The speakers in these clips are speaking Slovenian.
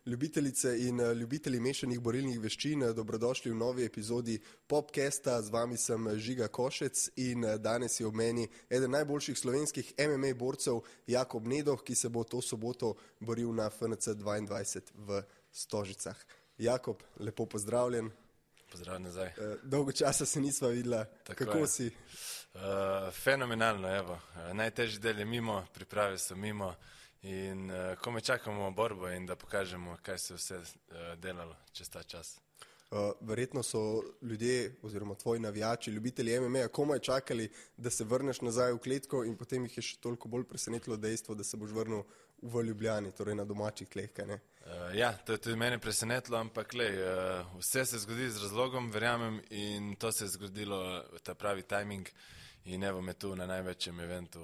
Ljubitelice in ljubitelji mešanih borilnih veščin, dobrodošli v novi epizodi Popcasta. Z vami sem Žiga Košec in danes je ob meni eden najboljših slovenskih MMA borcev Jakob Nedoh, ki se bo to soboto boril na FNC 22 v Stožicah. Jakob, lepo pozdravljen. Pozdravljen nazaj. Dolgo časa se nisva videla. Kako si? Fenomenalno, evo. Najtežji del je mimo, priprave so mimo. In komaj čakamo borbo in da pokažemo, kaj se vse delalo čez ta čas. Verjetno so ljudje oziroma tvoji navijači, ljubitelji MMA komaj čakali, da se vrneš nazaj v kletko in potem jih je še toliko bolj presenetilo dejstvo, da se boš vrnil v Ljubljani, torej na domačih tleh, kaj ne? Ja, to je tudi mene presenetilo, ampak vse se zgodi z razlogom, verjamem, in to se je zgodilo ta pravi timing in evo me tu na največjem eventu,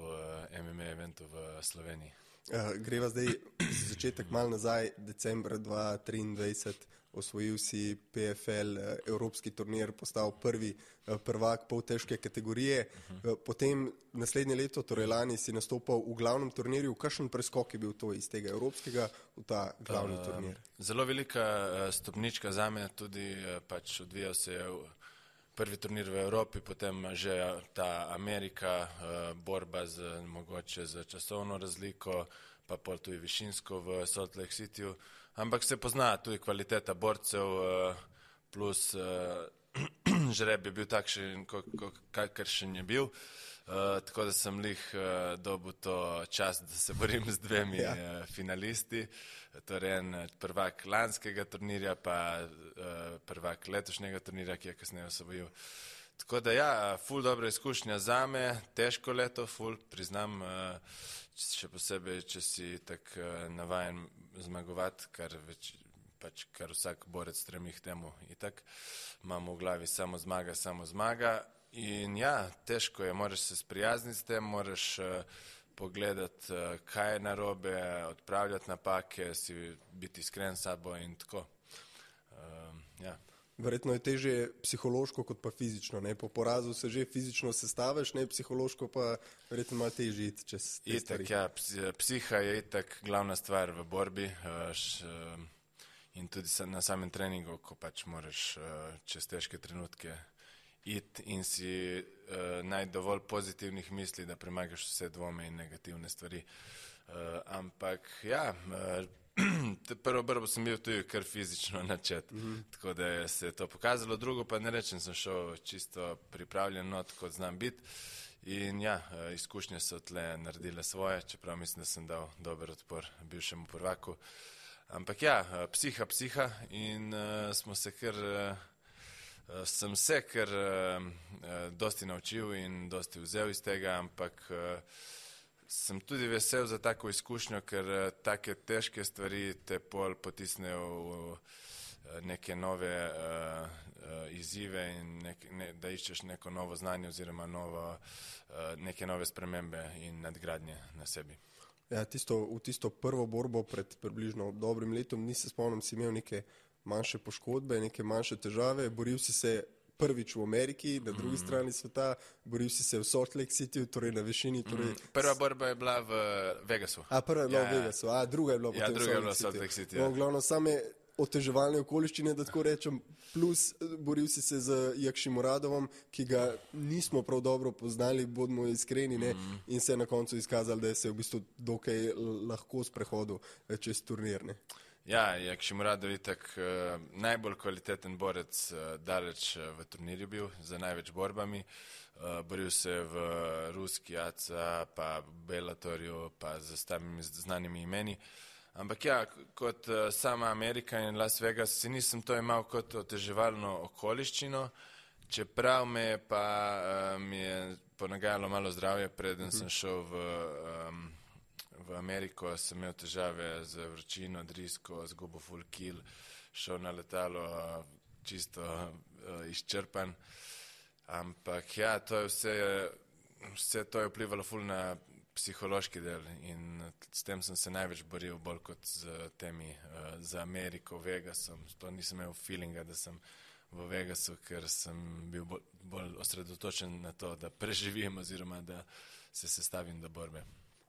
MMA eventu v Sloveniji. Greva zdaj začetek malo nazaj, decembra 2023, osvojil si PFL, evropski turnir, postal prvi prvak poltežke kategorije. Potem naslednje leto, torej lani, si nastopal v glavnem turnirju. Kakšen preskok je bil to iz tega evropskega v ta glavni turnir? Zelo velika stopnička zame, tudi pač odvijal se je prvi turnir v Evropi, potem že ta Amerika, borba mogoče z časovno razliko, pa pol tudi višinsko v Salt Lake Cityju. Ampak se pozna tudi kvaliteta borcev, plus žreb je bil takšen, kakršen je bil. Tako da sem dobil to čast, da se borim z dvemi finalisti. Torej en prvak lanskega turnirja, pa prvak letošnjega turnirja, ki je kasneje osvojil. Tako da ja, ful dobra izkušnja zame, težko leto, ful, priznam, še posebej, če si tak navajen zmagovati, kar vsak borec stremi k temu. Itak imamo v glavi samo zmaga. In ja, težko je, moraš se sprijazniti s tem, moraš pogledati, kaj je narobe, odpravljati napake, biti iskren s sabo in tako. Ja. Verjetno je težje psihološko kot pa fizično, ne? Po porazu se že fizično sestaviš, ne, psihološko pa verjetno malo težje iti čez te stvari. Ja, psiha je itak glavna stvar v borbi in tudi na samem treningu, ko pač moraš čez težke trenutke iti in si najti dovolj pozitivnih misli, da premagaš vse dvome in negativne stvari. Ampak ja, prvo borbo sem bil tudi kar fizično načet, tako da se je to pokazalo. Drugo pa ne rečem, sem šel čisto pripravljen, kot znam biti. In ja, izkušnje so tle naredile svoje, čeprav mislim, da sem dal dober odpor bivšemu prvaku. Ampak ja, psiha in sem se kar dosti naučil in dosti vzel iz tega, ampak sem tudi vesel za tako izkušnjo, ker take težke stvari te pol potisnejo v neke nove izzive in da iščeš neko novo znanje oziroma neke nove spremembe in nadgradnje na sebi. Ja, v tisto prvo borbo pred približno dobrim letom, se spomnim, si imel neke manjše poškodbe, neke manjše težave, boril si se prvič v Ameriki, na drugi strani sveta, boril si se v Salt Lake City, torej na višini. Prva borba je bila v Vegasu. Prva je bila v Vegasu, druga je bila potem v Salt Lake City. No, glavno, same oteževalne okoliščine, da tako rečem, plus boril si se z Jakšimoradovom, ki ga nismo prav dobro poznali, bodimo iskreni, ne, in se je na koncu izkazalo, da je se v bistvu dokaj lahko sprehodil čez turnir, ne. Ja, Jakšimuradov je tak najbolj kvaliteten borec daleč v turnirju bil, za največ borbami. Boril se v ruski ACA, pa v Bellatorju, pa z samimi znanimi imeni. Ampak ja, kot sama Amerika in Las Vegas si nisem to imel kot oteževalno okoliščino, čeprav mi je ponagajalo malo zdravje, preden sem šel v Ameriko, sem imel težave z vročino, drisko, zgubo full kill, šel na letalo čisto izčrpan. Ampak ja, to je vse to je vplivalo full na psihološki del in s tem sem se največ boril, bolj kot z Ameriko, Vegasom. To nisem imel feelinga, da sem v Vegasu, ker sem bil bolj osredotočen na to, da preživim oziroma da se sestavim do borbe.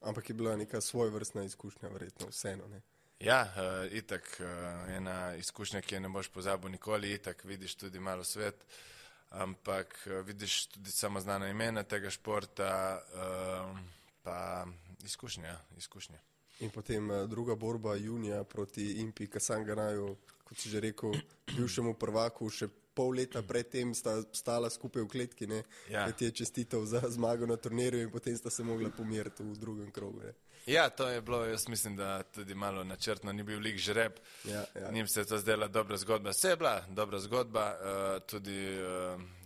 Ampak je bila neka svojevrstna izkušnja, verjetno vseeno, ne? Ja, itak, ena izkušnja, ki je ne boš pozabil nikoli, itak vidiš tudi malo svet, ampak vidiš tudi samo znana imena tega športa, pa izkušnje. In potem druga borba junija proti Impi Kasanganaju, kot si že rekel, bivšemu prvaku, še pol leta predtem sta stala skupaj v kletki, ne? Ja. Ti je čestitev za zmago na turnirju in potem sta se mogla pomiriti v drugem krogu. Ne? Ja, to je bilo, jaz mislim, da tudi malo načrtno, ni bil lik žreb, Ja. njim se je to zdela dobra zgodba, vse je bila dobra zgodba, tudi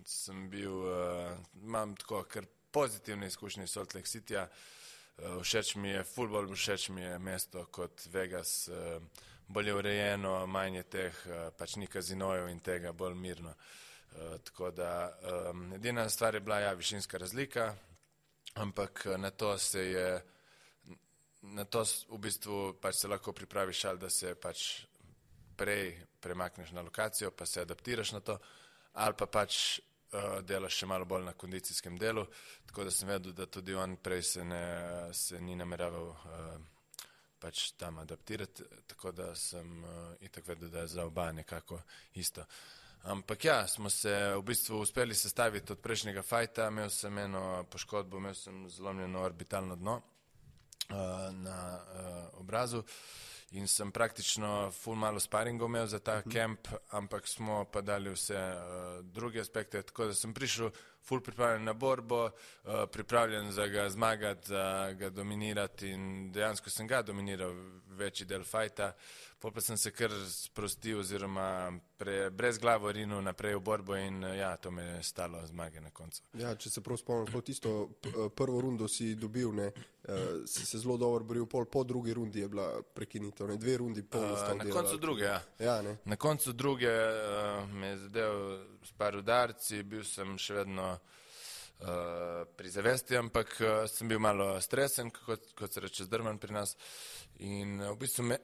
sem bil, imam tako kar pozitivne izkušnje iz Salt Lake Cityja, všeč mi je futbol, všeč mi je mesto kot Vegas, bolj je urejeno, manj je teh, pač ni kazinojev in tega, bolj mirno. Tako da edina stvar je bila višinska razlika, ampak na to v bistvu pač se lahko pripraviš ali da se pač prej premakneš na lokacijo, pa se adaptiraš na to, ali pa pač delaš še malo bolj na kondicijskem delu, tako da sem vedel, da tudi on prej se ni nameraval pač tam adaptirati, tako da sem itak vedel, da je za oba nekako isto. Ampak ja, smo se v bistvu uspeli sestaviti od prejšnjega fajta, imel sem eno poškodbo, imel sem zlomljeno orbitalno dno na obrazu in sem praktično ful malo sparingov imel za ta kemp, ampak smo pa dali vse druge aspekte, tako da sem prišel ful pripravljen na borbo, pripravljen za ga zmagati, za ga dominirati in dejansko sem ga dominiral večji del fajta, pol pa sem se kar sprostil oziroma brez glavo rinil naprej v borbo in ja, to me je stalo zmage na koncu. Ja, če se prav spomnim, to tisto prvo rundo si dobil, ne, si se zelo dobro boril, po drugi rundi je bila prekinitev, ne, 2 rundi pol ostal delati. Na koncu druge, ja. Ja, ne. Na koncu druge me je zadev s par udarci, bil sem še vedno pri zavesti, ampak sem bil malo stresen, kot se reče zdrman pri nas in v bistvu me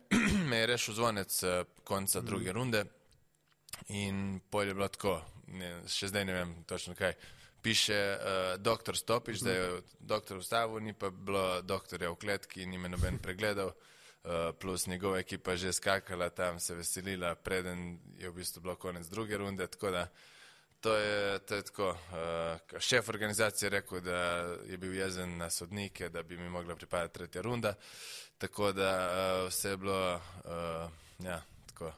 je rešil zvonec konca druge runde in pol je bilo tako, še zdaj ne vem točno kaj, piše doktor stopiš, da je doktor vstavil, ni pa bilo doktorja v kletki, ni me noben pregledal, plus njegova ekipa že skakala tam, se veselila, preden je v bistvu bilo konec druge runde, tako da to je tako, šef organizacije je rekel, da je bil jezen na sodnike, da bi mi mogla pripadati tretja runda, tako da vse je bilo, ja, tako,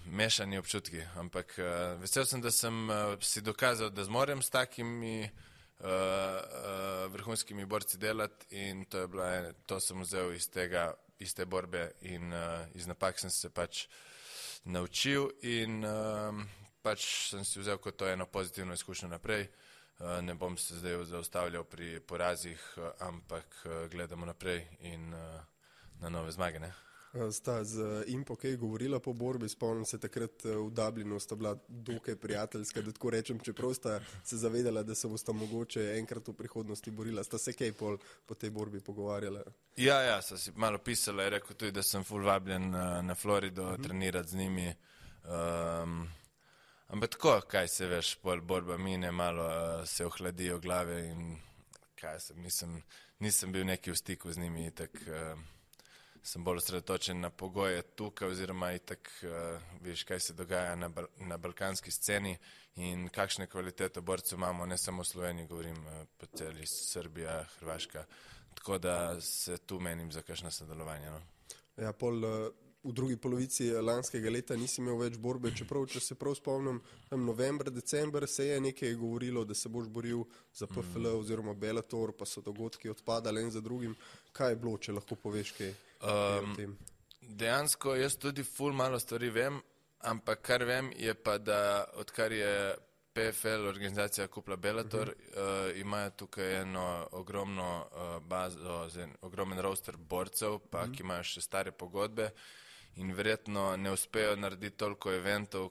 mešani občutki, ampak vesel sem, da sem si dokazal, da zmorem s takimi vrhunskimi borci delati in to sem vzel iz te borbe in iz napak sem se pač naučil in pač sem si vzel kot to eno pozitivno izkušnjo naprej. Ne bom se zdaj zaustavljal pri porazih, ampak gledamo naprej in na nove zmage, ne? Sta z Impo kaj govorila po borbi, spomnim se takrat v Dublinu, sta bila dokaj prijateljska, da tako rečem, čeprav sta se zavedala, da se bosta mogoče enkrat v prihodnosti borila. Sta se kaj po tej borbi pogovarjala? Ja, sta si malo pisala, je rekel tudi, da sem ful vabljen na Florido trenirati z njimi. Ampak tako, kaj se veš, pol borba mine, malo se ohladijo glave in kaj nisem bil neki v stiku z njimi, itak sem bolj osredotočen na pogoje tukaj oziroma itak viš, kaj se dogaja na balkanski sceni in kakšne kvalitete borcev imamo, ne samo v Sloveniji, govorim po celi Srbija, Hrvaška, tako da se tu menim za kakšno sodelovanje. No? Ja, v drugi polovici lanskega leta nisi imel več borbe, čeprav, če se prav spomnim, november, december se je nekaj govorilo, da se boš boril za PFL oziroma Bellator, pa so dogodki odpadali en za drugim. Kaj je bilo, če lahko poveš kaj o tem? Dejansko jaz tudi ful malo stvari vem, ampak kar vem je pa, da odkar je PFL organizacija kupila Bellator, imajo tukaj eno ogromno bazo, ogromen roster borcev, pa ki imajo še stare pogodbe in verjetno ne uspejo narediti toliko eventov,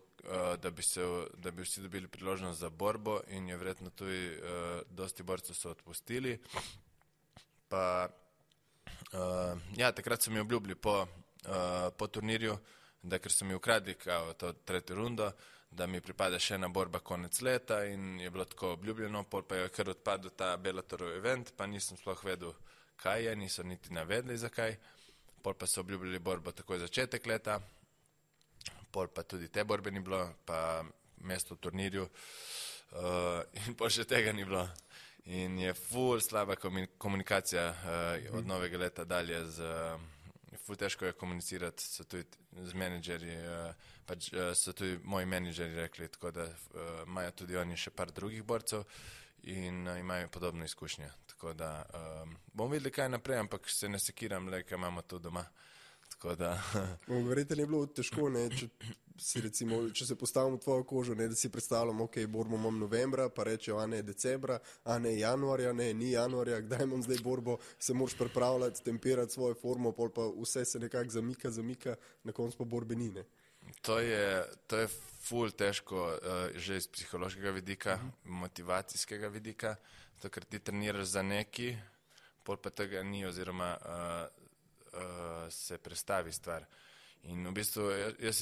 da bi vsi dobili priložnost za borbo in je verjetno tudi dosti borcev so odpustili. Pa ja, takrat so mi obljubili po turnirju, da ker so mi ukradli to tretjo rundo, da mi pripada še ena borba konec leta in je bilo tako obljubljeno, pol pa je kar odpadel ta Bellatorov event, pa nisem sploh vedel, kaj je, niso niti navedli zakaj. pol pa so obljubili borbo takoj začetek leta, pol pa tudi te borbe ni bilo, pa mesto v turnirju in pol še tega ni bilo. In je ful slaba komunikacija od novega leta dalje ful težko je komunicirati, so tudi z menedžerji, pač so tudi moji menedžerji rekli, tako da imajo tudi oni še par drugih borcev in imajo podobne izkušnje. Tako da bomo videli kaj naprej, ampak se ne sekiram, le, kaj imamo tu doma. Tako da... Verjetno je bilo težko, ne, če se postavimo v tvojo kožo, ne, da si predstavljam, ok, borbo imam novembra, pa rečejo, a ne decembra, a ne januarja, ne, ni januarja, kdaj imam zdaj borbo, se moraš pripravljati, tempirati svojo formo, pol pa vse se nekako zamika, na koncu pa borbe ni, ne. To je ful težko že iz psihološkega vidika, motivacijskega vidika, to, ker ti treniraš za neki, pol pa tega ni oziroma se prestavi stvar. In v bistvu jaz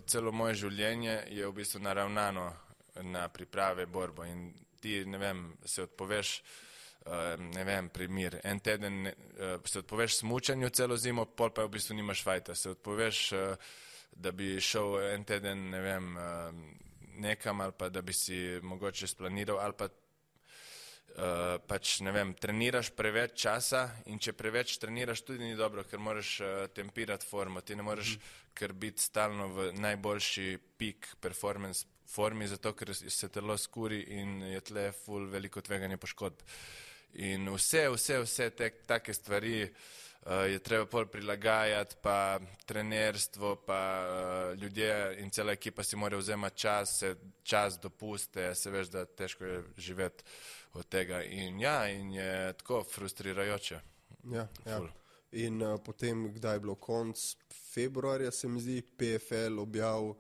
celo moje življenje je v bistvu naravnano na priprave borbo in ti, ne vem, se odpoveš, ne vem, primir, en teden se odpoveš smučanju celo zimo, pol pa v bistvu nimaš fajta, se odpoveš, da bi šel en teden, ne vem, nekam ali pa da bi si mogoče splaniral ali pa pač, ne vem, treniraš preveč časa in če preveč treniraš tudi ni dobro, ker moraš tempirati formo, ti ne moreš kar biti stalno v najboljši peak performance formi, zato ker se telo skuri in je tle ful veliko tveganje poškodb. In vse take stvari je treba pol prilagajati, pa trenerstvo, pa ljudje in cela ekipa si mora vzemati čas dopuste, se veš, da težko je živeti od tega in je tako frustrirajoče. Ja. In potem, kdaj je bilo konc februarja, se mi zdi, PFL objavil,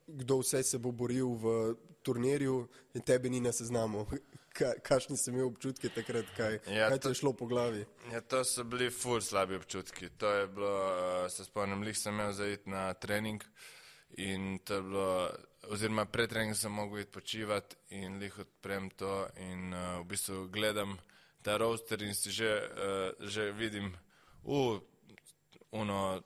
kdo vse se bo boril v turnirju in tebe ni na seznamu. Kakšni si imel občutki takrat, kaj te je šlo po glavi? Ja, to so bili ful slabi občutki. To je bilo, se spomnim, lih sem imel zaiti na trening in to je bilo, oziroma pred treningom sem mogel iti počivati in lih odprem to in v bistvu gledam ta roster in si že vidim,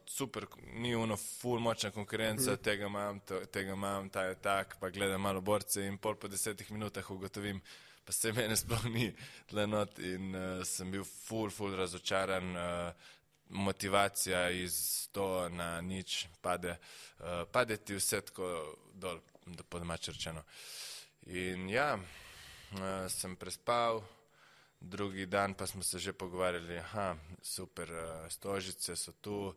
super, ni ful močna konkurenca, tega imam, ta je tak, pa gledam malo borce in pol po 10 minutah ugotovim, pa se mene sploh ni tle not in sem bil ful razočaran, motivacija iz 100 na nič pade ti vse tako dol, po domače rečeno. In sem prespal, drugi dan pa smo se že pogovarjali, super, Stožice so tu,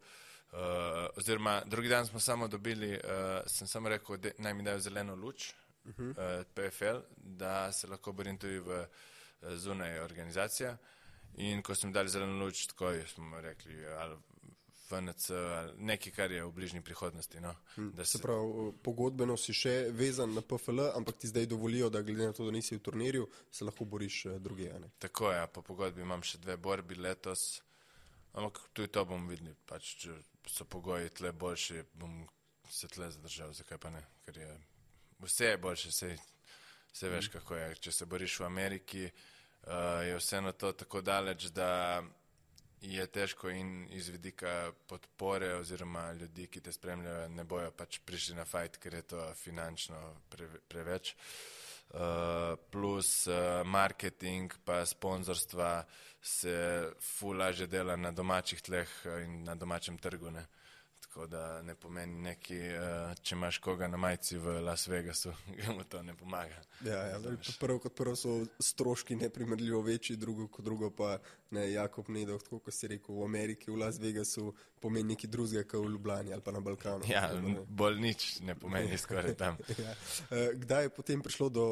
oziroma drugi dan smo samo dobili, sem samo rekel, naj mi dajo zeleno luč, PFL, da se lahko borim tudi v zunaj organizacija in ko smo dali zeleno luč, tako smo rekli, ali FNC, ali nekaj, kar je v bližnji prihodnosti. No, se pravi, pogodbeno si še vezan na PFL, ampak ti zdaj dovolijo, da glede na to, da nisi v turnirju, se lahko boriš druge. Tako je, po pogodbi imam še 2 borbi letos, ampak tudi to bomo videli, pač, če so pogoji tle boljši, bom se tle zadržal, zakaj pa ne, ker je vse je boljše, vse veš, kako je. Če se boriš v Ameriki, je vseeno to tako daleč, da je težko in iz vidika podpore oziroma ljudi, ki te spremljajo, ne bojo pač prišli na fight, ker je to finančno preveč. Plus marketing pa sponzorstva se ful lažje dela na domačih tleh in na domačem trgu, ne. Tako da ne pomeni neki, če imaš koga na majici v Las Vegasu, mu to ne pomaga. Prvo kot prvo so stroški neprimerljivo večji, drugo kot drugo pa Jakob Nedov, tako kot si rekel, v Ameriki, v Las Vegasu pomeni nekaj drugega, kot v Ljubljani ali pa na Balkanu. Ja, bolj nič ne pomeni skoraj tam. Kdaj je potem prišlo do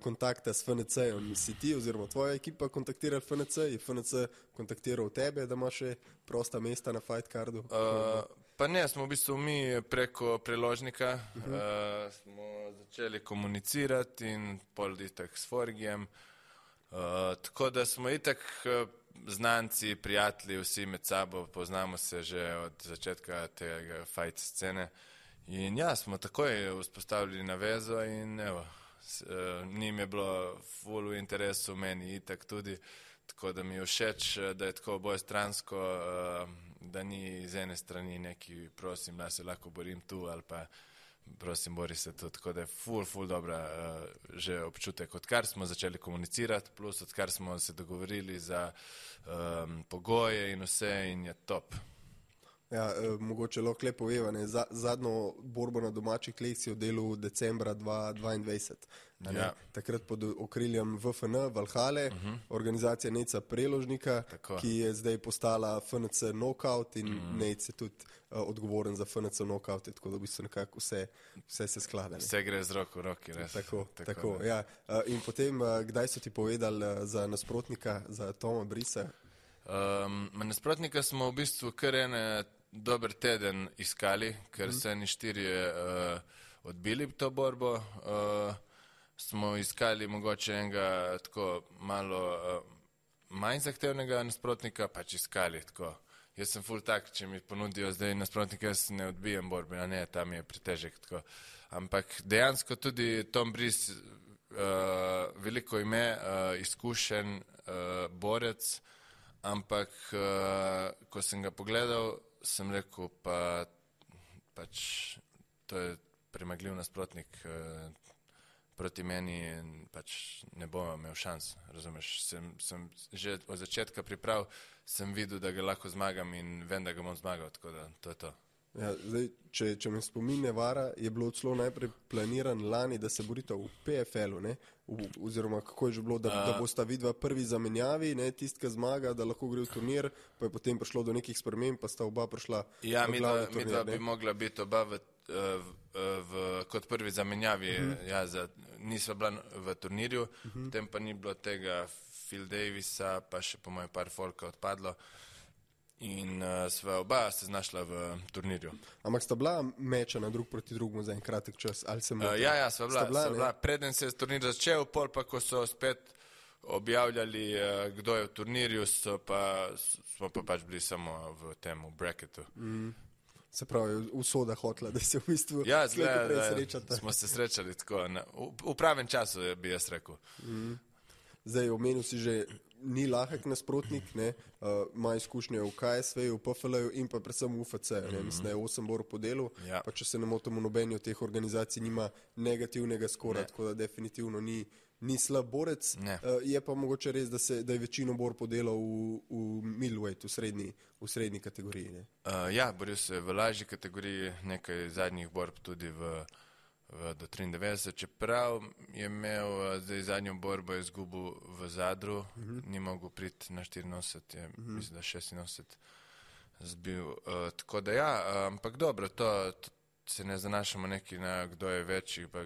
kontakta s FNC-om? Si ti oziroma tvoja ekipa kontaktirala FNC? Je FNC kontaktiral tebe, da imaš še prosta mesta na fight cardu? Pa ne, smo v bistvu mi preko preložnika smo začeli komunicirati in pol itak s Forgijem. Tako da smo itak znanci, prijatelji, vsi med sabo, poznamo se že od začetka tega fight scene. In smo takoj vzpostavili navezo in evo, njim je bilo ful v interesu, meni itak tudi. Tako da mi je všeč, da je tako obojestransko, da ni z ene strani neki prosim, da se lahko borim tu ali pa prosim, bori se tu. Tako da je ful dobra že občutek, odkar smo začeli komunicirati, plus odkar smo se dogovorili za pogoje in vse in je top. Ja, mogoče lahko lepo poveva, ne, zadnjo borbo na domačih tleh si oddelil decembra 2022. Ja. Takrat pod okriljem VFN, Valhale, organizacija Neca Preložnika, Tako. ki je zdaj postala FNC Knockout in Nec je tudi odgovoren za FNC Knockout, tako da v bistvu nekako vse se sklada. Ne. Vse gre z roko v roki, res. Tako, ja. In potem, kdaj so ti povedali za nasprotnika, za Toma Brisa? Nasprotnika smo v bistvu kar dober teden iskali, ker so eni 4 odbili to borbo. Smo iskali mogoče enega tako malo manj zahtevnega nasprotnika, pač iskali tako. Jaz sem ful tak, če mi ponudijo zdaj nasprotnika, jaz ne odbijem borbe, a ne, tam je pretežek tako. Ampak dejansko tudi Tom Breeze, veliko ime, izkušen borec, ampak ko sem ga pogledal, sem rekel, pač to je premagljiv nasprotnik proti meni in pač ne bom imel šans, razumeš. Sem že od začetka priprav, sem videl, da ga lahko zmagam in vem, da ga bom zmagal, tako da to je to. Ja, zdaj, če me spomin ne vara, je bilo celo najprej planiran lani, da se borita v PFL-u, ne? Oziroma kako je že bilo, da bosta vidva prvi zamenjavi, ne, tistka zmaga, da lahko gre v turnir, pa je potem prišlo do nekih sprememb, pa sta oba prišla v glavni turnir. Midva bi mogla biti oba kot prvi zamenjavi, nisva bila v turnirju, potem pa ni bilo tega Phil Davisa, pa še po mojem par folka odpadlo. In sva oba se znašla v turnirju. Ampak sta bila mečena drug proti drugemu za en kratek čas? Ali se ja, sva bila. Preden se je turnir začel, pol pa, ko so spet objavljali, kdo je v turnirju, smo pa pač bili samo v tem bracketu. Se pravi, usoda hotla, da se v bistvu srečata. Smo se srečali tako, v pravem času, bi jaz rekel. Zdaj, omenil si že, ni lahek nasprotnik, ima izkušnje v KSV-ju, v PFL-ju in pa predvsem v UFC-ju. Mislim, da je 8 borov po delu, pa če se ne motimo, nobeni od teh organizacij nima negativnega skora, tako da definitivno ni slab borec. Je pa mogoče res, da je večino bor podelal v middleweight, v srednji kategoriji. Ne? Ja, boril se v lažji kategoriji, nekaj zadnjih borb tudi do 93, čeprav je imel zdaj zadnjo borbo izgubil v Zadru, ni mogel priti na 84, mislim, da 86 zbil. Tako da ja, ampak dobro, to se ne zanašamo neki na kdo je večji, pa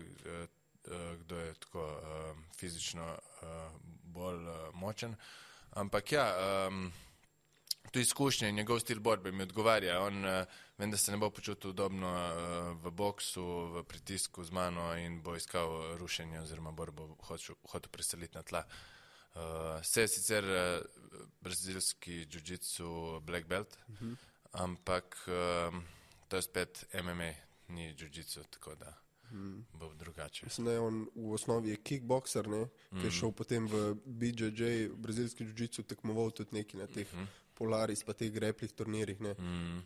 kdo je tako fizično bolj močen. Ampak ja, tu izkušnje in njegov stil borbe mi odgovarja. Vem, da se ne bo počutil udobno v boksu, v pritisku z mano in bo iskal rušenje oziroma borbo hotel preseliti na tla. Se je sicer brazilski jiu-jitsu black belt, ampak to je spet MMA, ni jiu-jitsu, tako da bo drugače. Mislim, da je on v osnovi je kickboxer, ki je šel potem v BJJ, brazilski jiu-jitsu, tekmoval tudi neki na teh Polaris pa teh greplih turnirjih,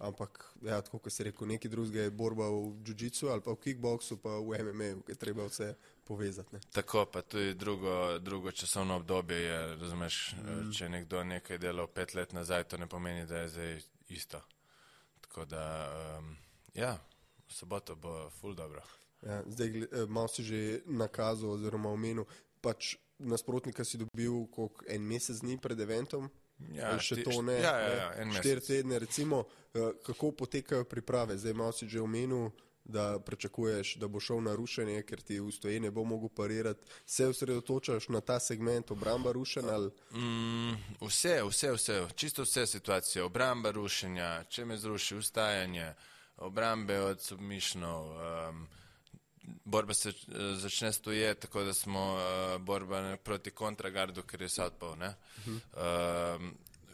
ampak ja, tako kot si rekel, neki drugega je borba v jiu-jitsu ali pa v kickboxu pa v MMA-u, ki je treba vse povezati. Tako, pa tudi drugo časovno obdobje je, razumeš, če nekdo nekaj delal 5 let nazaj, to ne pomeni, da je zdaj isto. Tako da, ja, v soboto bo ful dobro. Ja, zdaj, malo si že nakazal oziroma omenil, pač nasprotnika si dobil en mesec dni pred eventom, še to ne, 4 tedne recimo, kako potekajo priprave? Zdaj malo si že omenil, da pričakuješ, da bo šel na rušenje, ker ti v stoje ne bo mogel parirati. Se osredotočaš na ta segment obramba rušenja? Vse, čisto vse situacije, obramba rušenja, če me zruši, ustajanje, obrambe od submišnov, borba se začne stoje, tako da smo borba proti kontragardu, ker je southpaw, ne?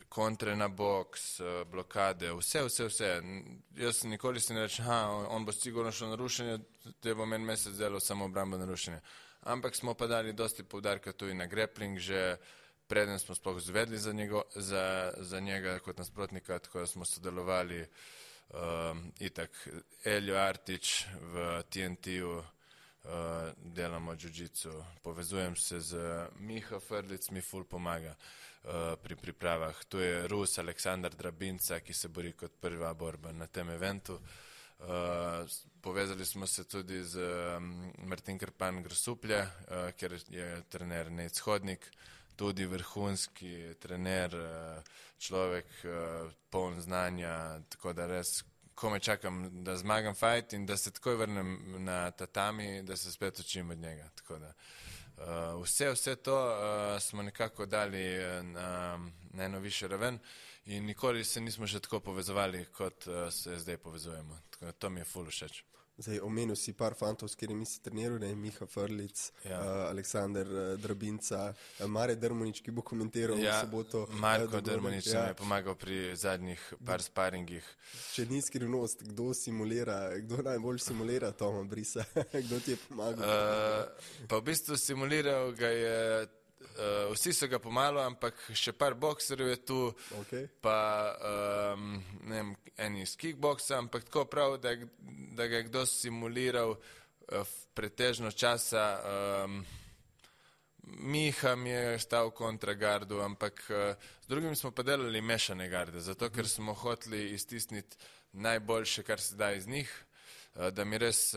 Kontre na boks, blokade, vse. Jaz nikoli si ne rečem, on bo sigurno šel na rušenje, te bo meni mesec delal samo obramba na rušenje. Ampak smo pa dali dosti poudarka tudi na grappling že, preden smo sploh zvedli za njega kot nasprotnika, tako da smo sodelovali itak Eljo Artič v TNT-u, delamo jiu-jitsu, povezujem se z Miha Frlic, mi ful pomaga pri pripravah. Tu je Rus Aleksandar Drabinca, ki se bori kot prva borba na tem eventu. Povezali smo se tudi z Martin Krpan Grsuplje, kjer je trener Nejc Hodnik, tudi vrhunski trener, človek poln znanja, tako da res komaj čakam, da zmagam fight in da se takoj vrnem na tatami, da se spet učim od njega. Tako da vse to smo nekako dali na eno višjo raven in nikoli se nismo še tako povezovali, kot se zdaj povezujemo. Tako da to mi je ful všeč. Zdaj, omenil si par fantov, s katerimi si treniral, Miha Frlic, Aleksandar Drabinca, Mare Drmonič, ki bo komentiral v soboto. Marko Drmonič mi je pomagal pri zadnjih par sparingih. Če ni skrivnost, kdo najbolj simulira Toma Brisa? Kdo ti je pomagal? Pa v bistvu simuliral ga je, vsi so ga pomalo, ampak še par bokserjev je tu, pa ne vem, eni iz kickboksa, ampak tako prav, da ga je kdo simuliral pretežno časa. Miha mi je stal kontra gardu, ampak z drugimi smo pa delali mešane garde, zato ker smo hoteli iztisniti najboljše, kar se da iz njih, da mi res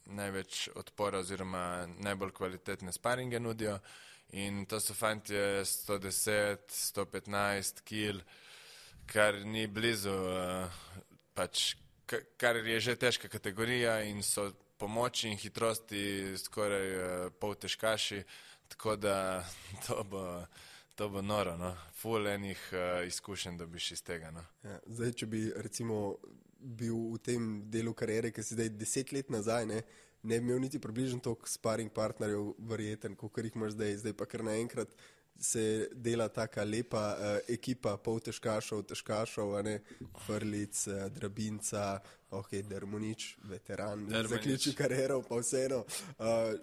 največ odpora oziroma najbolj kvalitetne sparinge nudijo in to so fantje 110, 115 kil, kar ni blizu, kar je že težka kategorija in so po moči in hitrosti skoraj pol težkaši, tako da to bo noro, no. Ful enih izkušenj dobiš iz tega, no. Ja, zdaj, če bi recimo bil v tem delu kariere, ki si zdaj 10 let nazaj, ne bi imel niti približno toliko sparing partnerjev verjeten, kot jih imaš zdaj pa kar naenkrat se dela taka lepa ekipa poltežkašov, težkašov, Frlic, Drabinca, Drmonič, veteran, zaključi kariero, pa vseeno.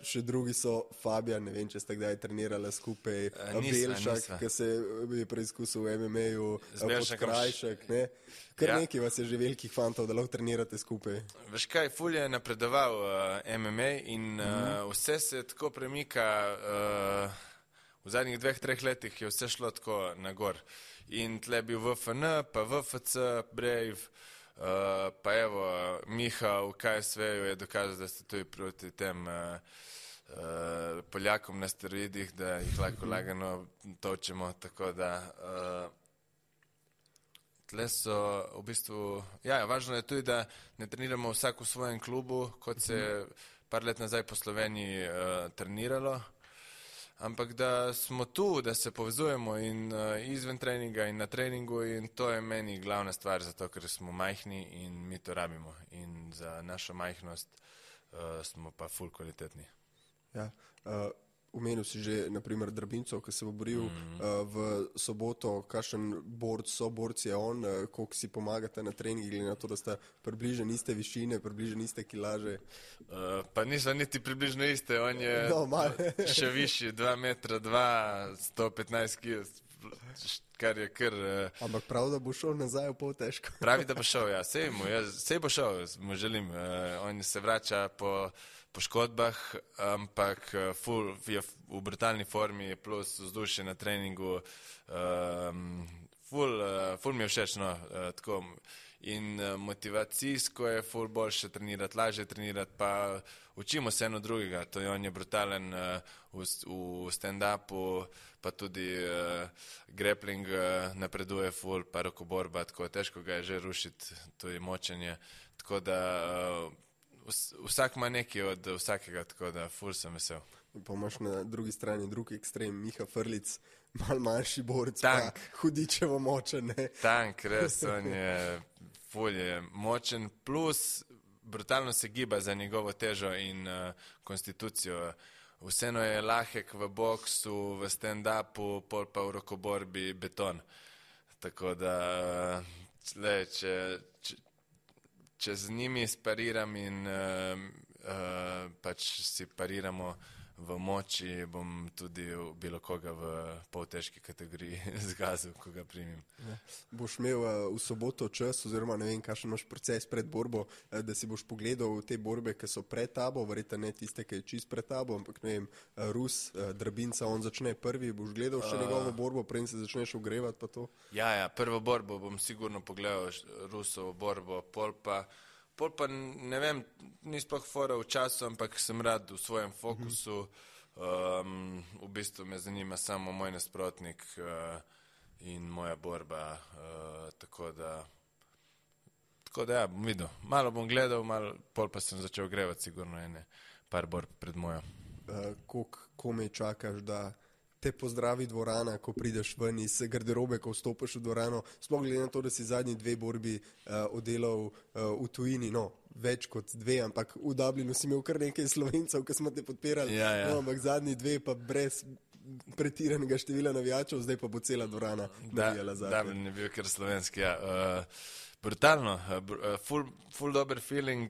Še drugi so Fabijan, ne vem, če ste kdaj trenirali skupaj, Belšak, ki se je preizkusil v MMA-ju, Podkrajšek, ne. Kar nekaj vas je že velikih fantov, da lahko trenirate skupaj. Veš kaj, ful je napredoval MMA in vse se tako premika. V zadnjih 2-3 letih je vse šlo tako nagor. In tle bil VFN, pa VFC, Brave, pa evo, Miha v KSV-ju je dokazal, da ste tudi proti tem Poljakom na steroidih, da jih lahko lagano točemo, tako da tle so v bistvu, važno je tudi, da ne treniramo vsak v svojem klubu, kot se je par let nazaj po Sloveniji treniralo, ampak da smo tu, da se povezujemo in izven treninga in na treningu in to je meni glavna stvar, zato ker smo majhni in mi to rabimo in za našo majhnost smo pa ful kvalitetni. Ja, omenil si že, naprimer, Drabinco, ki se bo boril v soboto, kakšen soborc je on, koliko si pomagate na treningi, glede na to, da sta približno iste višine, približno iste kilaže? Pa niso niti približno iste, on je še višji, 2 metra 2, 115 kil, kar je kar... Ampak prav, da bo šel nazaj v pol težko? Pravi, da bo šel, sej bo šel, mu želim, on se vrača po poškodbah, ampak je v brutalni formi, plus vzdušje na treningu, ful mi je všeč, no, tako. In motivacijsko je ful boljše trenirati, lažje trenirati, pa učimo se eno drugega, to je on je brutalen v stand-upu, pa tudi grappling napreduje ful, pa rokoborba, tako težko ga je že rušiti, to je močenje, tako da vsak ima nekaj od vsakega, tako da ful sem vesel. Pa imaš na drugi strani drugi ekstrem, Miha Frlic, malo manjši borec, pa hudičevo močen, ne? Tank, res, on je ful je močen, plus brutalno se giba za njegovo težo in konstitucijo. Vseeno je lahek v boksu, v stand-upu, pol pa v rokoborbi beton. Tako da, če z njimi spariram in pač si pariramo, v moči bom tudi bilo koga v poltežki kategoriji zgazil, ko ga primim. Boš imel v soboto čas, oziroma ne vem, kakšen imaš proces pred borbo, da si boš pogledal te borbe, ki so pred tabo, verjetno ne tiste, ki je čist pred tabo, ampak ne vem, Rus, Drabinca, on začne prvi, boš gledal še njegovo borbo, preden se začneš ogrevati pa to? Ja, prvo borbo bom sigurno pogledal, Rusovo borbo, pol pa ne vem, ni sploh fora v času, ampak sem rad v svojem fokusu. V bistvu me zanima samo moj nasprotnik in moja borba, tako da ja, bom videl. Malo bom gledal, pol pa sem začel grevati sigurno par borb pred mojo. Koliko komaj čakaš, da te pozdravi dvorana, ko prideš ven iz garderobe, ko vstopiš v dvorano, sploh glede na to, da si zadnji 2 borbi oddelal v tujini, več kot 2, ampak v Dublinu si imel kar nekaj Slovencev, ki smo te podpirali, ampak zadnji 2 pa brez pretiranega števila navijačev, zdaj pa bo cela dvorana navijala za te. Dublin je bil kar slovenski, brutalno, ful dober feeling,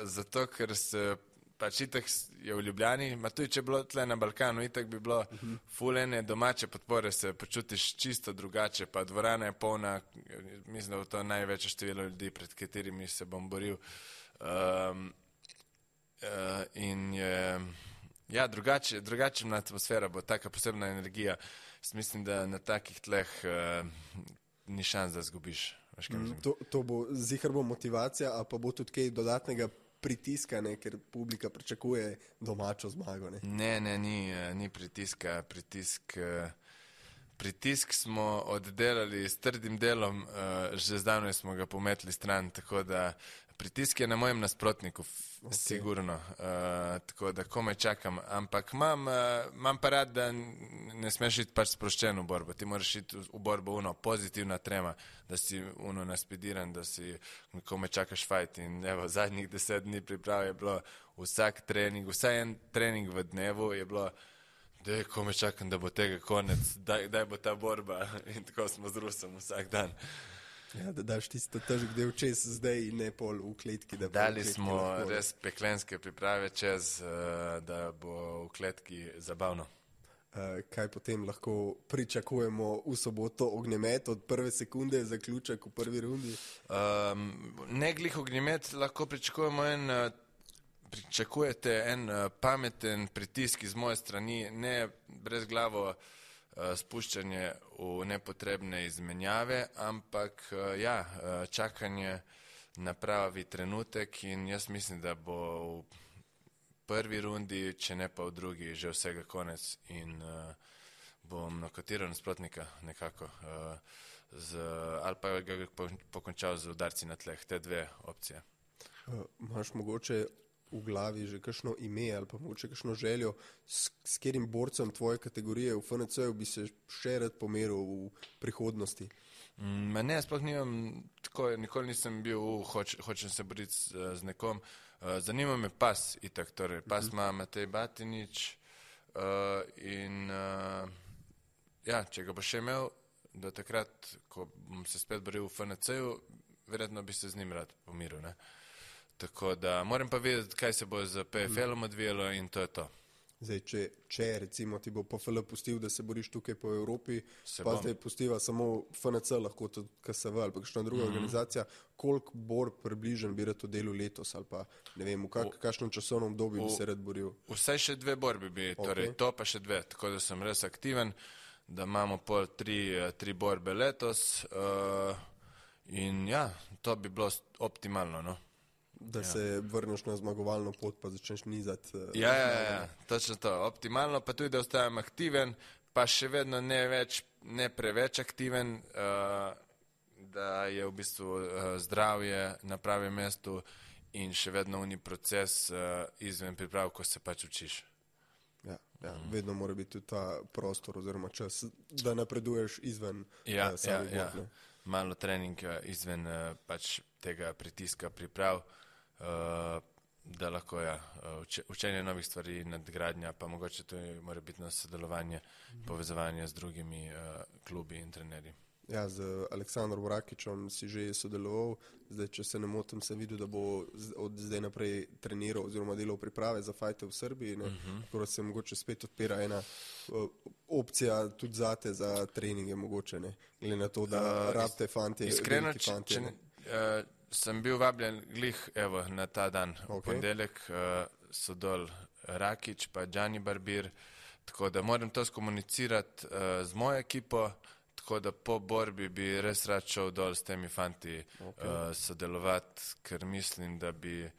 zato ker se pač itak je v Ljubljani, ma tudi če bilo tle na Balkanu, itak bi bilo ful ene domače podpore, se počutiš čisto drugače, pa dvorana je polna, mislim, da je to največje število ljudi, pred katerimi se bom boril. In je, drugačna atmosfera bo, taka posebna energija. Mislim, da na takih tleh ni šans, da zgubiš. To bo, zihar bo motivacija, a pa bo tudi kaj dodatnega pritiska, ker publika pričakuje domačo zmago. Ne, ni pritiska. Pritisk smo oddelali s trdim delom, že zdavnaj smo ga pometli stran, tako da pritisk je na mojem nasprotniku, sigurno, tako da komaj čakam, ampak imam pa rad, da ne smeš iti pač sproščen v borbo, ti moraš iti v borbo pozitivna trema, da si naspediran, da si komaj čakaš fajt in evo, zadnjih 10 dni priprav je bilo vsak trening, vsaj en trening v dnevu je bilo, da komaj čakam, da bo tega konec, daj bo ta borba in tako smo z Rusom vsak dan. Ja, da daš tisto težek del čez zdaj in ne pol v kletki. Dali smo res peklenske priprave čez, da bo v kletki zabavno. Kaj potem lahko pričakujemo v soboto? Ognjemet od prve sekunde, zaključek v prvi rundi? Ne glih ognjemet, lahko pričakujete en pameten pritisk iz moje strani, ne brezglavo spuščanje v nepotrebne izmenjave, ampak čakanje na pravi trenutek in jaz mislim, da bo v prvi rundi, če ne pa v drugi, že vsega konec in bom nokatiral nasprotnika nekako ali pa ga pokončal z udarci na tleh, te 2 opcije. Imaš mogoče v glavi že kakšno ime ali pa mogoče kakšno željo, s katerim borcem tvoje kategorije v FNC-ju bi se še rad pomeril v prihodnosti? Ne, sploh nimam tako, nikoli nisem bil hočem se boriti z nekom. Zanima me pas itak, torej pas ima Matej Batinič in če ga bo še imel do takrat, ko bom se spet boril v FNC-ju, verjetno bi se z njim rad pomiril, ne? Tako da moram pa vedeti, kaj se bo z PFL-om odvijalo in to je to. Zdaj, če recimo ti bo PFL pustil, da se boriš tukaj po Evropi, pa zdaj pustiva samo FNC, lahko tudi KSV ali pa kakšna druga organizacija, koliko borb približen bi rad oddelil letos ali pa ne vem, v kakšnem časovnem obdobju bi se rad boril? Vsaj še 2 borbi bi, torej to pa še 2, tako da sem res aktiven, da imamo pol 3 borbe letos in to bi bilo optimalno, no. Da se vrneš na zmagovalno pot, pa začneš nizati. Ja, točno to. Optimalno, pa tudi, da ostajam aktiven, pa še vedno ne preveč aktiven, da je v bistvu zdravje na pravem mestu in še vedno uni proces izven priprav, ko se pač učiš. Ja, vedno mora biti tudi ta prostor oziroma čas, da napreduješ izven samih borb. Malo treninga izven pač tega pritiska priprav, da lahko učenje novih stvari, nadgradnja, pa mogoče to mora biti na sodelovanje, povezovanje z drugimi klubi in trenerji. Ja, z Aleksandrom Rakičem si že sodeloval, zdaj, če se ne motim, sem videl, da bo od zdaj naprej treniral oziroma delal priprave za fajte v Srbiji, tako da se mogoče spet odpira ena opcija tudi zate za treninge mogoče, ne, glede na to, da rabite fantje, iskreno, veliki fantje. Sem bil vabljen glih, evo, na ta dan, v ponedeljek, so dol Rakič pa Gianni Barbir, tako da moram to skomunicirati z mojo ekipo, tako da po borbi bi res rad šel dol s temi fanti sodelovati, ker mislim, da bi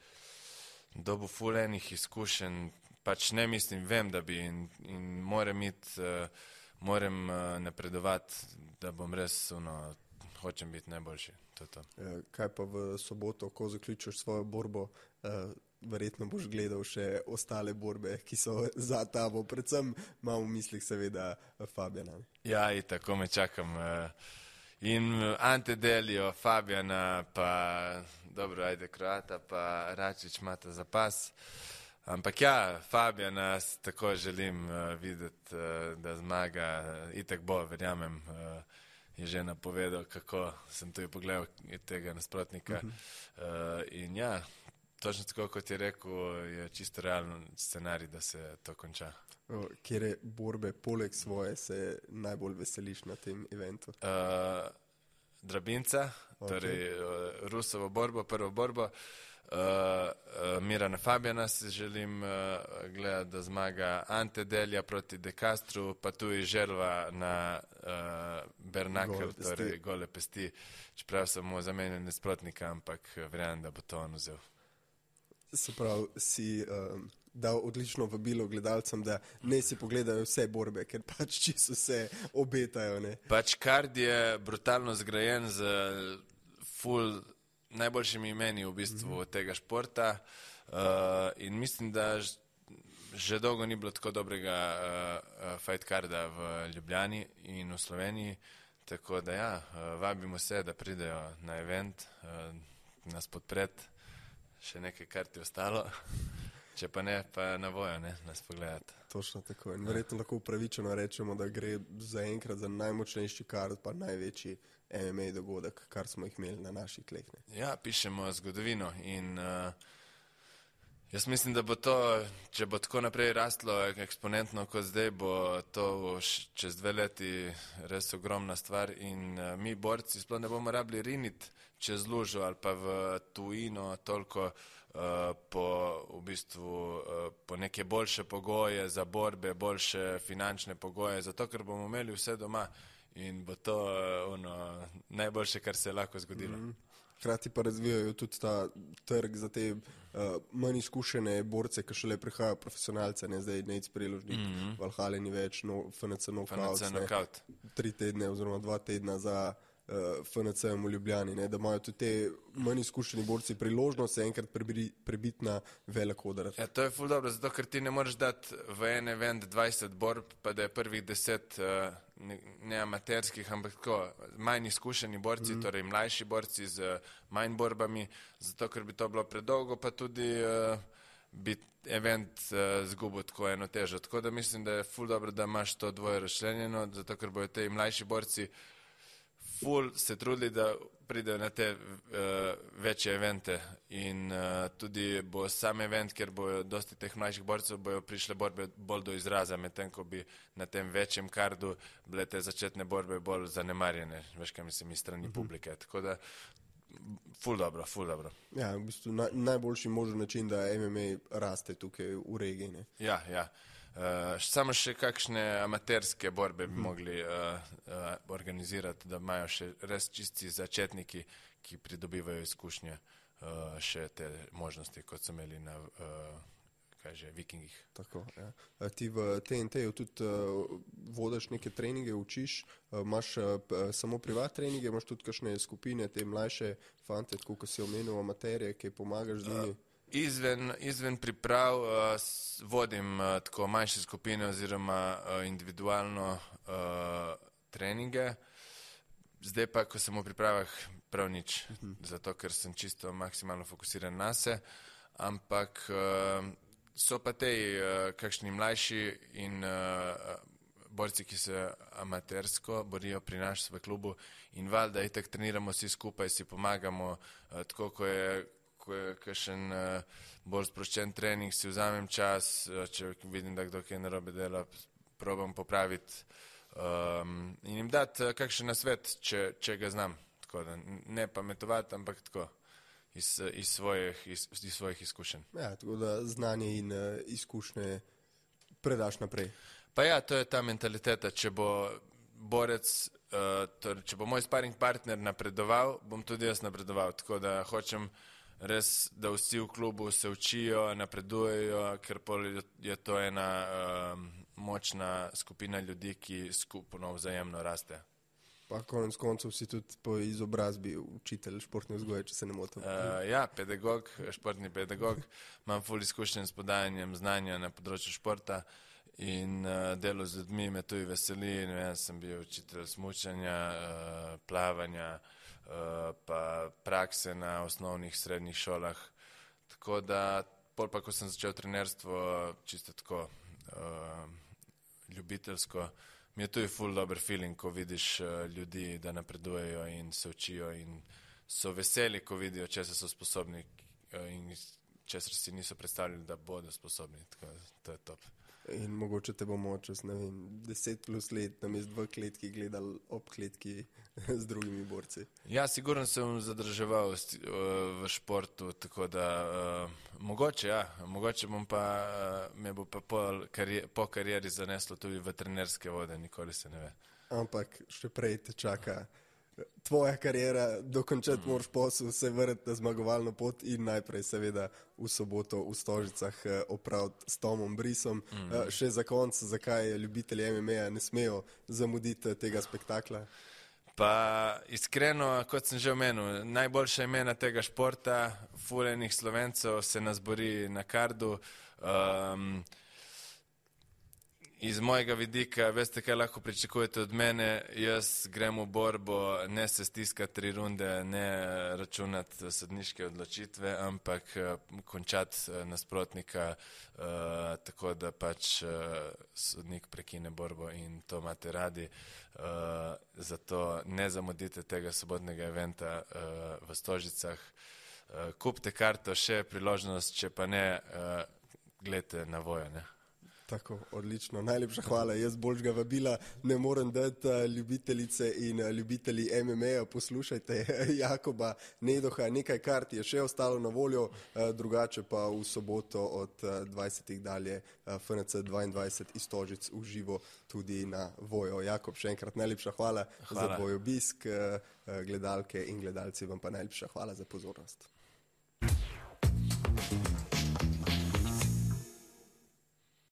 dobil ful enih izkušenj, pač ne mislim, vem, da bi in moram napredovati, da bom res, hočem biti najboljši. To. Kaj pa v soboto, ko zaključiš svojo borbo, verjetno boš gledal še ostale borbe, ki so za tabo, predvsem imam v mislih seveda Fabijana. Ja, tako me čakam. In Ante Delio, Fabijana, pa dobro, ajde Kroata, pa Račič imata zapas. Ampak ja, Fabijana tako želim videti, da zmaga, itak bo, verjamem, je že napovedal, kako sem tu pogledal tega nasprotnika. In ja, točno tako, kot je rekel, je čisto realen scenarij, da se to konča. Kjere borbe poleg svoje se najbolj veseliš na tem eventu? Drabinca, torej Rusovo borbo, prvo borbo. Mirana Fabijana si želim gledati, da zmaga Ante Delija proti De Castru, pa tu je želva na Bernakel, torej gole pesti. Čeprav sem mu zamenjal nasprotnika, ampak verjamem, da bo to on vzel. Se pravi, si dal odlično vabilo gledalcem, da ne si pogledajo vse borbe, ker pač čisto se obetajo. Ne? Pač kard je brutalno zgrajen z ful najboljšimi imeni v bistvu tega športa in mislim, da že dolgo ni bilo tako dobrega fight carda v Ljubljani in v Sloveniji, tako da ja, vabimo se, da pridejo na event, nas podpreti, še nekaj karti ostalo, če pa ne, pa na vojo, ne, nas pogledati. Točno tako in verjetno lahko upravičeno rečemo, da gre zaenkrat za najmočnejši kard, pa največji MMA dogodek, kar smo jih imeli na naših tleh. Ja, pišemo zgodovino in jaz mislim, da bo to, če bo tako naprej rastlo eksponentno kot zdaj, bo to čez 2 leti res ogromna stvar in mi borci sploh ne bomo rabili riniti čez lužo ali pa v tujino toliko po neke boljše pogoje za borbe, boljše finančne pogoje, zato ker bomo imeli vse doma. In bo to najboljše, kar se je lahko zgodilo. Hkrati pa razvijajo tudi ta trg za te manj izkušene borce, ki šele prihajajo profesionalce, ne zdaj Nec Preložnik, Valhalla ni več, FNC Knockout, 3 tedne oziroma 2 tedna za FNC-em v Ljubljani, ne, da imajo tudi te manj izkušeni borci priložnost se enkrat prebiti na velik oder. Ja, to je ful dobro, zato ker ti ne moreš dati v en event 20 borb, pa da je prvih 10 ne amaterskih, ampak tako manj izkušeni borci, torej mlajši borci z manj borbami, zato ker bi to bilo predolgo, pa tudi bi event zgubil tako eno težo. Tako da mislim, da je ful dobro, da imaš to dvoje razčlenjeno, zato ker bojo te mlajši borci ful se trudili, da pridejo na te večje evente in tudi bo sam event, kjer bojo dosti teh mlajših borcev, bojo prišle borbe bolj do izraza, medtem ko bi na tem večjem kardu bile te začetne borbe bolj zanemarjene, veš kaj mislim, iz strani publike. Tako da ful dobro. Ja, v bistvu najboljši možen način, da MMA raste tukaj v regiji. Ne? Ja. Samo še kakšne amaterske borbe bi mogli organizirati, da imajo še res čisti začetniki, ki pridobivajo izkušnje, še te možnosti, kot so imeli na Vikingih. Tako, ja. Ti v TNT-ju tudi vodiš neke treninge, učiš, imaš samo privat treninge, imaš tudi kakšne skupine, te mlajše fante, tako kot si omenil, amaterje, ki pomagaš z njimi? Izven priprav vodim tako manjše skupine oziroma individualno treninge. Zdaj pa, ko sem v pripravah, prav nič, zato ker sem čisto maksimalno fokusiran na se, ampak so pa tej kakšni mlajši in borci, ki se amatersko borijo pri nas v klubu in valjda itak treniramo vsi skupaj, si pomagamo, tako ko je kakšen bolj sproščen trening, si vzamem čas, če vidim, da kdo kaj narobe dela, probam popraviti in jim dati kakšen nasvet, če ga znam, tako da ne pametovati, ampak tako. Iz svojih izkušenj. Ja, tako da znanje in izkušnje predaš naprej. Pa ja, to je ta mentaliteta. Če bo borec, če bo moj sparring partner napredoval, bom tudi jaz napredoval. Tako da hočem res, da vsi v klubu se učijo, napredujejo, ker je to ena močna skupina ljudi, ki skupno vzajemno raste. Pa konec koncev si tudi po izobrazbi učitelj športne vzgoje, če se ne motim. Ja, pedagog, športni pedagog. Imam ful izkušenj s podajanjem znanja na področju športa in delo z ljudmi me tudi veseli. Jaz sem bil učitelj smučanja, plavanja, pa prakse na osnovnih, srednjih šolah. Tako da, pol pa, ko sem začel trenerstvo, čisto tako ljubiteljsko, mi je tudi ful dober feeling, ko vidiš ljudi, da napredujejo in se učijo in so veseli, ko vidijo, česa so sposobni in česar si niso predstavljali, da bodo sposobni. Tako, to je top. In mogoče te bomo čez, ne vem, 10+ let namesto v kletki gledali ob kletki z drugimi borci. Ja, sigurno se bom zadrževal v športu, tako da mogoče bom pa, me bo pa po karieri zaneslo tudi v trenerske vode, nikoli se ne ve. Ampak še prej te čaka tvoja karijera, dokončati moraš posel, se vrniti na zmagovalno pot in najprej seveda v soboto v Stožicah opraviti s Tomom Brisom. Še za konec, zakaj ljubitelji MMA ne smejo zamuditi tega spektakla? Pa iskreno, kot sem že omenil, najboljša imena tega športa, fulejnih Slovencev se nas bori na kardu. Iz mojega vidika, veste, kaj lahko pričakujete od mene, jaz grem v borbo, ne se stiskati 3 runde, ne računati sodniške odločitve, ampak končati nasprotnika tako, da pač sodnik prekine borbo in to imate radi. Zato ne zamudite tega sobotnega eventa v Stožicah. Kupite karto, še priložnost, če pa ne, gledajte na Vojo, ne? Tako, odlično. Najlepša hvala. Jaz boljšega vabila ne morem dati, ljubitelice in ljubitelji MMA-ja, poslušajte Jakoba Nedoha. Nekaj kart je še ostalo na voljo, drugače pa v soboto od 20. dalje FNC 22 iz Stožic v živo tudi na Vojo. Jakob, še enkrat najlepša hvala za tvoj obisk, gledalke in gledalci vam pa najlepša hvala za pozornost.